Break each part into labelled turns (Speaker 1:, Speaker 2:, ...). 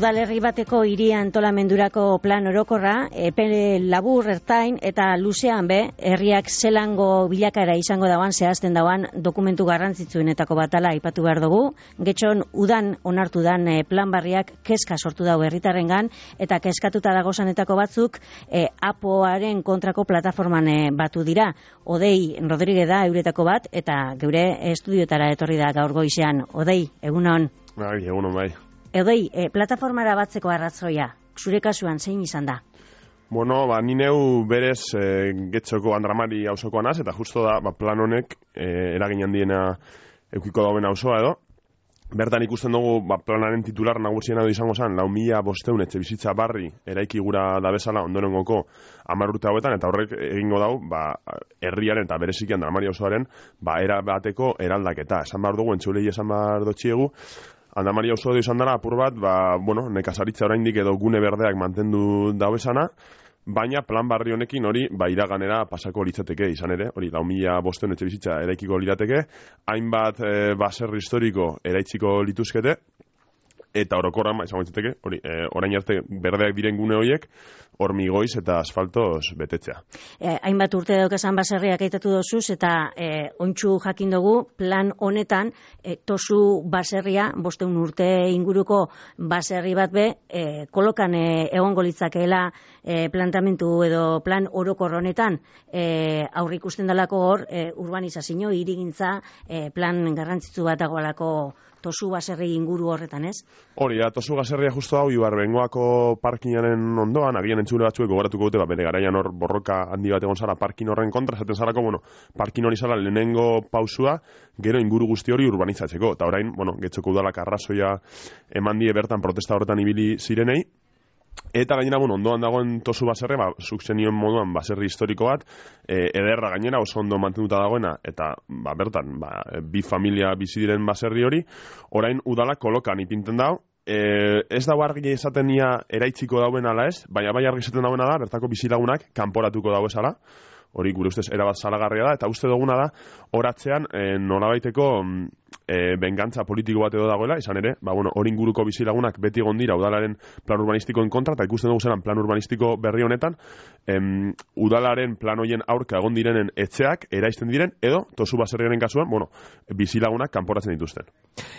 Speaker 1: Udalerri bateko hiri antolamendurako plan orokorra, epe labur, ertain eta luzean herriak zelango bilakaera izango dauan, zehazten dauan dokumentu garrantzitsuenetako batala aipatu behar dugu. Getxon udan onartu dan plan barriak kezka sortu dau herritarrengan eta kezkatuta dagozanetako batzuk APOaren kontrako plataforman batu dira. Odei Rodríguez da euretako bat eta geure estudioetara etorri da gaur goizean. Odei, egunon.
Speaker 2: Bai, egunon bai.
Speaker 1: Odei, plataformara batzeko arrazoia, zure kasuan zein izan da?
Speaker 2: Bueno, ni neu berez Getxoko Andramari auzokoa naz, eta justo da plan honek eragin handiena eukiko dauen auzoa edo. Bertan ikusten dugu planaren titular nagusiena izango zen 4.500 etxe bizitza barri eraiki gura da bezala ondorengoko 10 urte hauetan, eta horrek egingo dau herriaren eta bereziki Andramari auzoaren era bateko eraldaketa. Esan behar dugu, entzulei esan behar dotxiegu, Andramari auzo izan dara apur bat, nekazaritza oraindik edo gune berdeak mantendu dauezana, baina plan barri honekin hori iraganera pasako litzateke izan ere, hori 4.500 etxe bizitza eraikiko lirateke, hainbat baserri historiko eraitziko lituzkete, eta orokorran izango litzateke, hori orain arte berdeak diren gune horiek, hormigoiz eta asfaltoz betetzea.
Speaker 1: Hainbat urte daukasan baserriak aitatu dozuz, eta ontsu jakin dugu plan honetan tozu baserria, 500 urte inguruko baserri bat kolokan egongo litzakeela plantamentu edo plan orokor honetan, aurre ikusten dalako hor urbanizazio, hirigintza plan garrantzitsu bat dagoelako tozu baserri inguru horretan, ez?
Speaker 2: Hori da, tozu baserria justu hau Ibarbengoako parkinaren ondoan, agian entzule batzuek gogoratuko dute, bere garaian hor borroka handi bat egon zara parkin horren kontra, esaten zarako, parkin hori zara lehenengo pausua, gero inguru guzti hori urbanizatzeko, eta orain, Getxoko udalak arrazoia eman die bertan protesta horretan ibili zirenei, eta gainera, ondoan dagoen tozu baserria, zuk zenioen moduan baserri historiko bat, ederra gainera oso ondo mantenduta dagoena, eta bertan, bi familia bizi diren baserri hori, orain udalak kolokan ipinten dau, ez dago argi esaten ia eraitziko dauen ala ez, baina bai argi esaten dauen da, bertako bizilagunak kanporatuko dago esala, hori gure ustez erabat salagarria da, eta uste duguna da, horatzean nolabaiteko bengantza politiko bat edo dagoela, izan ere, hori inguruko bizilagunak beti egon dira udalaren plan urbanistikoen kontra, eta ikusten dugu zelan plan urbanistiko berri honetan, udalaren plan hoien aurka egon direnen etxeak eraisten diren, edo tozu baserriaren kasuan, bizilagunak kanporatzen dituzten.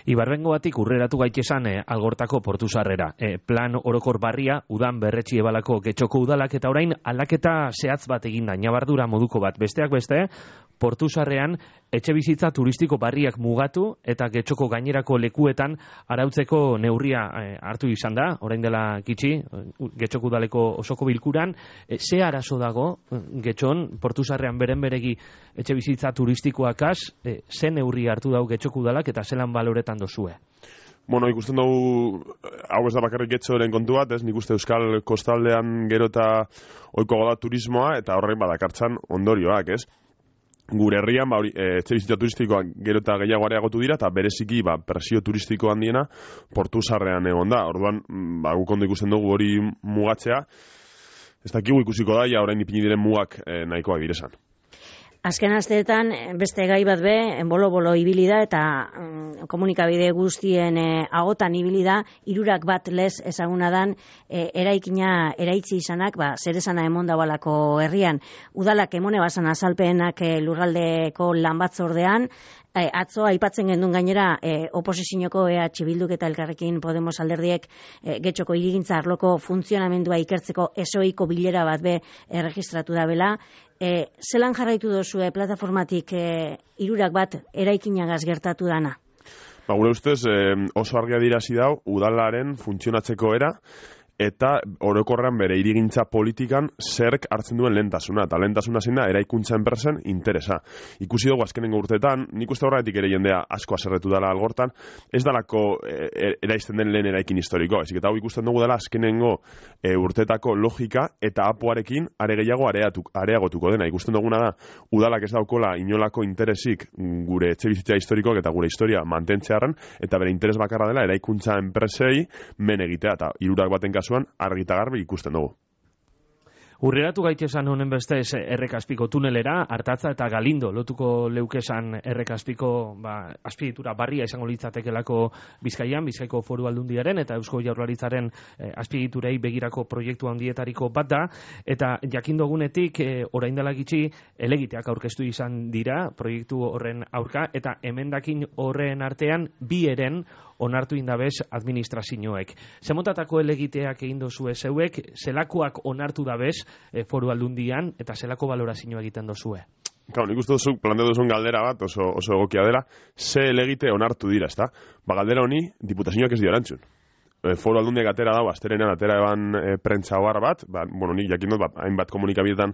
Speaker 3: Ibarbengo batik urreratu gaitesan Algortako portu sarrera. Plan orokor barria, udan berretxi ebalako Getxoko udalak, eta orain aldaketa zehatz bat eginda, nabardura moduko bat. Besteak beste, portu sarrean etxe bizitza turistiko barriak mugatu eta Getxoko gainerako lekuetan arautzeko neurria hartu izan da, orain dela gitxi, Getxoko udaleko osoko bilkuran. Ze arazo dago Getxon, portu sarrean beren beregi etxe bizitza turistikoakaz, ze neurri hartu dago Getxoko udalak eta zelan baloretan dozue?
Speaker 2: Ikusten dugu, hau ez da bakarrik Getxoren kontu bat, nik uste Euskal Kostaldean gero eta ohiko da turismoa, eta horrein badakartzan ondorioak, ez? Gure herrian, etxe bizitza turistikoak gero eta gehiago areagotu dira, eta bereziki presio turistiko handiena portu sarrean egon da. Orduan, guk ondo ikusten dugu hori mugatzea, ez dakigu ikusiko da, orain ipini diren mugak nahikoak direzan.
Speaker 1: Azken asteetan beste gai bat bolo-bolo ibili da eta komunikabide guztien agotan ibili da, 3 bat lez ezaguna dan eraikina eraitzi izanak, zer esana emon daualako herrian. Udalak emone basan azalpenak lurraldeko lan batzordean, atzo aipatzen gendun gainera oposizioko EH Bilduk eta Elkarrekin Podemos alderdiek Getxoko hirigintza arloko funtzionamendua ikertzeko esoiko bilera bat erregistratu da bela. Zelan jarraitu dozue plataformatik 3 bat eraikinagaz gertatu dana?
Speaker 2: Gure ustez oso argia dirazi dau udalaren funtzionatzeko era, eta orokorrean bere hirigintza politikan zerk hartzen duen lehentasuna, eta lehentasuna zein da eraikuntza enpresen interesa. Ikusi dugu azkenengo urteetan, nik uste horretik ere jendea asko aserretu dela Algortan, ez dalako eraisten den lehen eraikin historiko, ezik eta hau ikusten dugu dela azkenengo urteetako logika eta apoarekin are gehiago areagotuko dena. Ikusten duguna da, udalak ez daukola inolako interesik gure etxe bizitza historikoak eta gure historia mantentzearen, eta bere interes bakarra dela eraikuntza enpresei men egitea, eta 3 baten kasuan argi eta garbi ikusten dugu.
Speaker 3: Urreratu gaitesan honen bestez Errekazpiko tunelera, Artatza eta Galindo lotuko leukesan Errekazpiko azpiegitura barria izango litzatekelako Bizkaian, Bizkaiko Foru Aldundiaren eta Eusko Jaurlaritzaren azpiegiturei begirako proiektu handietariko bat da, eta jakindogunetik orain dela gitxi helegiteak aurkeztu izan dira proiektu horren aurka, eta emendakin horren artean bi eren onartu indabez administrazioek. Zemotatako helegiteak egin dozue zeuek, zelakoak onartu dabez Foru Aldundian, eta zelako balorazioa egiten dozue?
Speaker 2: Claro, nik uste duzu, planteatu duzun galdera bat, oso egokia dela, ze helegite onartu dira, ezta? Galdera honi, diputazioak ez dira erantzun. Foru Aldundiak atera dago, asterenean atera eban prentsa ohar bat, nik jakin dut, hainbat komunikabidetan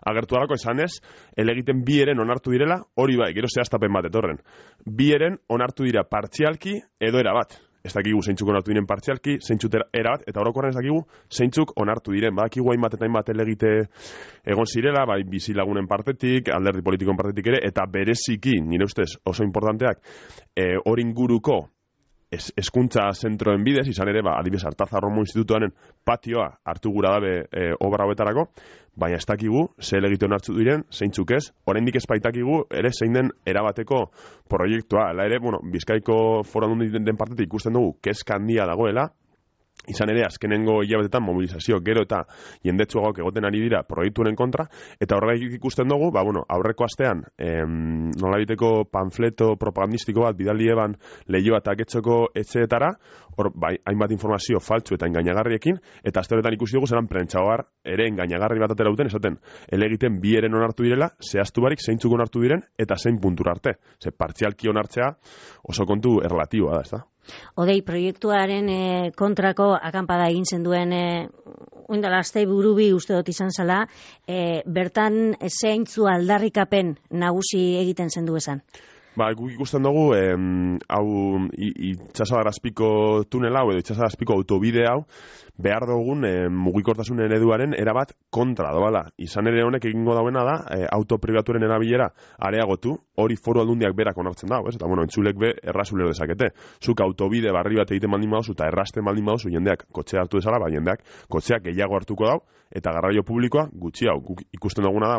Speaker 2: agertu dalako, esanez, helegiten bi eren onartu direla, hori bai, gero zehaztapen bat etorren. Bi eren onartu dira partzialki edo erabat. Ez dakigu zeintzuk onartu diren partzialki, zeintzuk erabat, eta orokorren ez dakigu zeintzuk onartu diren. Badakigu hainbat eta hainbat helegite egon zirela, bai bizilagunen partetik, alderdi politikoen partetik ere, eta bereziki, nire ustez oso importanteak, hori inguruko hezkuntza zentroen bidez, izan ere, adibidez Artatza Romo Institutuaren patioa hartu gura dabe obra hobetarako, baina ez dakigu ze helegite onartu diren, zeintzuk ez, oraindik ez baitakigu ere zein den erabateko proiektua. Hala ere, Bizkaiko Foru Aldundiaren den partetik ikusten dugu kezka handia dagoela, izan ere, azkenengo hilabetetan mobilizazio gero eta jendetsuagoak egoten ari dira proiektuaren kontra, eta horregatik ikusten dugu, aurreko astean, nolabiteko panfleto propagandistiko bat bidali eban lehioa eta getxoko etxeetara, hor, hainbat informazio faltsu eta engainagarriekin, eta aste horretan ikusi dugu zelan prentsaoar ere engainagarri bat atera duten, esaten, helegiten bi eren onartu direla, zehaztu barik zeintzuk onartu diren, eta zein puntura arte. Ze partzialki onartzea oso kontu erlatiboa da, ez da?
Speaker 1: Odei, proiektuaren kontrako akanpada egin zen duen oindala astei burubi uste dut izan zala, bertan zeintzu aldarrikapen nagusi egiten zen du esan?
Speaker 2: Guk ikusten dugu, hau itxasadarrazpiko tunela, edo itxasadarrazpiko autobide hau, behar dugun mugikortasun ereduaren erabat kontra doala. Izan ere honek egingo dauena da, auto pribaturen erabilera areagotu, hori Foru Aldundiak berak onartzen dago, eta entzulek be errazulero dezakete. Zuk autobide barri bat egiten baldin baduzu, eta errasten baldin baduzu, jendeak kotxea hartu dezala, jendeak kotxeak gehiago hartuko dau, eta garraio publikoa gutxi hau. Guk ikusten duguna da,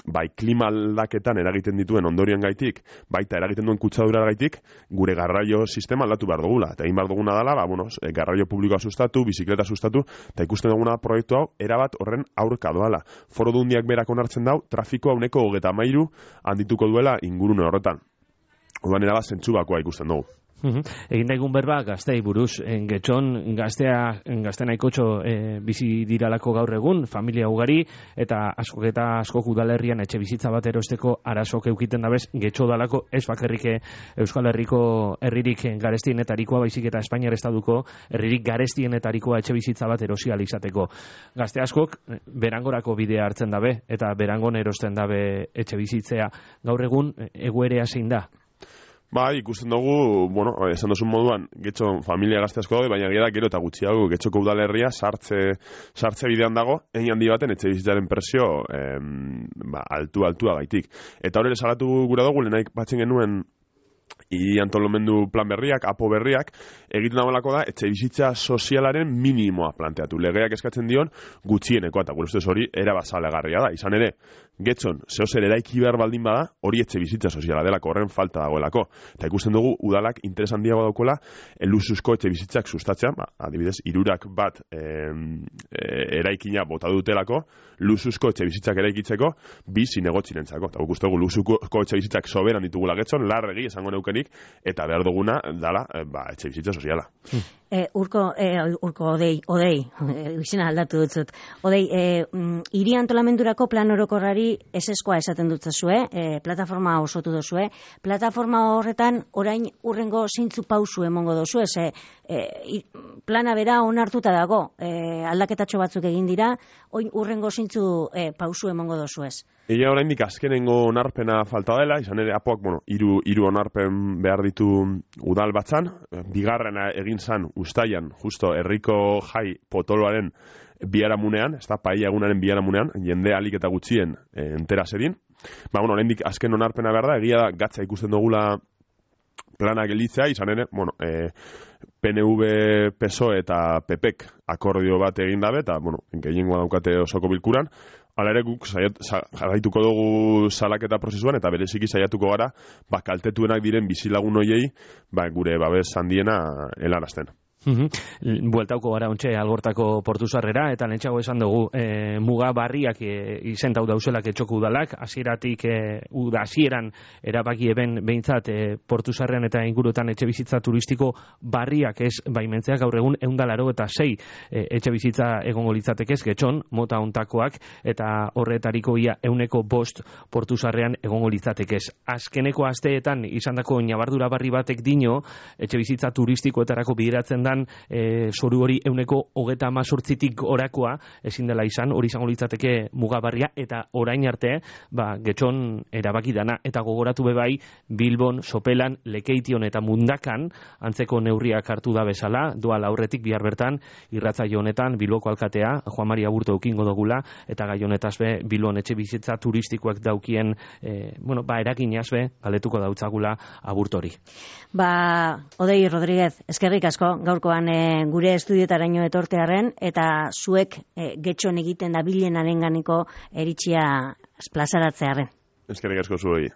Speaker 2: bai klima aldaketan eragiten dituen ondorioen gaitik, baita eragiten duen kutsadura gaitik, gure garraio sistema aldatu behar dugula. Eta egin behar duguna dela, garraio publikoa sustatu, bizikleta sustatu, eta ikusten duguna proiektu hau, erabat horren aurka doala. Foru Aldundiak berak onartzen dau, trafikoa 23% handituko duela ingurune horretan. Orduan erabat zentzu bakoa ikusten dugu.
Speaker 3: Egin daigun berba gaztei buruz, getxon gazte nahikotxo bizi diralako gaur egun, familia ugari, eta askok udalerrian etxe bizitza bat erosteko arazok eukiten dabez, getxo dalako ez bakarrik Euskal Herriko herririk garestienetarikoa, baizik eta Espainiar Estaduko herririk garestienetarikoa etxe bizitza bat erosial izateko. Gazte askok berangorako bidea hartzen dabe, eta berangon erosten dabe etxe bizitzea. Gaur egun egoerea zein da?
Speaker 2: Ikusten dugu, esan duzun moduan, getxo familia gazte asko daude, baina gero eta gutxiago, getxoko udalerria sartze bidean dago, egin handi baten etxe bizitzaren presio altua gaitik. Eta hori salatu gura dugu, lehenaik batzen genuen antolamendu plan berriak, apo berriak, egiten dagoelako da, etxe bizitza sozialaren minimoa planteatu. Legeak eskatzen dion gutxienekoa, eta gure ustez hori erabazalegarria da. Izan ere, getxon, zehozer eraiki behar baldin bada, hori etxe bizitza soziala delako, horren falta dagoelako. Eta ikusten dugu, udalak interes handiago daukola, lusuzko etxe bizitzak sustatzea, adibidez, 3 bat eraikina bota dutelako, lusuzko etxe bizitzak eraikitzeko, 2 zinegotzinentzako. Eta guk uste dugu, lusuzko etxe bizitzak soberan ditugula getxon, larregi esango neukenik, eta behar duguna dala etxe bizitza soziala.
Speaker 1: Urko, Odei, izena aldatu dutzut. Odei, hiri antolamendurako plan orokorrari eseskoa esaten dutzazue, plataforma osotu dozue. Plataforma horretan orain urrengo zeintzu pausu emongo dozue, plana bera onartuta dago, aldaketatxo batzuk egin dira, orain urrengo zeintzu pausu emongo dozuez.
Speaker 2: Egia oraindik azkenengo onarpena falta dela, izan ere apoak, hiru onarpen behar ditu udal batzan, bigarrena egin zan ustaian, justo herriko jai potoloaren biharamunean, ez da, paia-egunaren biharamunean, jende alik eta gutxien entera zerin. Oraindik azken onarpena behar da, egia da gatza ikusten dugula plana gelditzea, izan ere, bueno, PNV, PSOE eta PPek akordio bat egin dabe, eta, bueno, gehiengoa daukate osoko bilkuran. Hala ere guk jarraituko dugu salaketa prozesuan, eta bereziki saiatuko gara, kaltetuenak diren bizilagun hoiei, gure babes handiena helarazten.
Speaker 3: Bueltauko gara ontxe Algortako portuzarrera, eta lentsago esan dugu muga barriak izentau dauzelak etxoko udalak, hasieratik hasieran erabaki eben behintzat portuzarrean eta inguruetan etxe bizitza turistiko barriak ez baimentzeak gaur egun 186 etxe bizitza egongo litzatekez getxon, mota ontakoak, eta horretariko ia 105 portuzarrean egongo litzatekez. Azkeneko asteetan izandako ñabardura barri batek dino, etxe bizitza turistikoetarako bideratzen dan zoru hori 138tik orakoa ezin dela izan, hori izango litzateke mugabarria, eta orain arte getxon erabaki dana, eta gogoratu bebai Bilbon, Sopelan, Lekeition eta Mundakan antzeko neurriak hartu da bezala, doa aurretik bihar bertan irratsaio honetan Bilboko alkatea Juan Mari Aburto eukingo dugula, eta gai honetaz be Bilbon etxe bizitza turistikoak daukien eraginaz be galetuko dautzagula Aburtori.
Speaker 1: Odei Rodríguez, eskerrik asko gaurkoan gure estudiotaraino etortearren, eta zuek getxon egiten da bilenarenganiko eritxia plazaratzearren.
Speaker 2: Eskerrik asko zuei.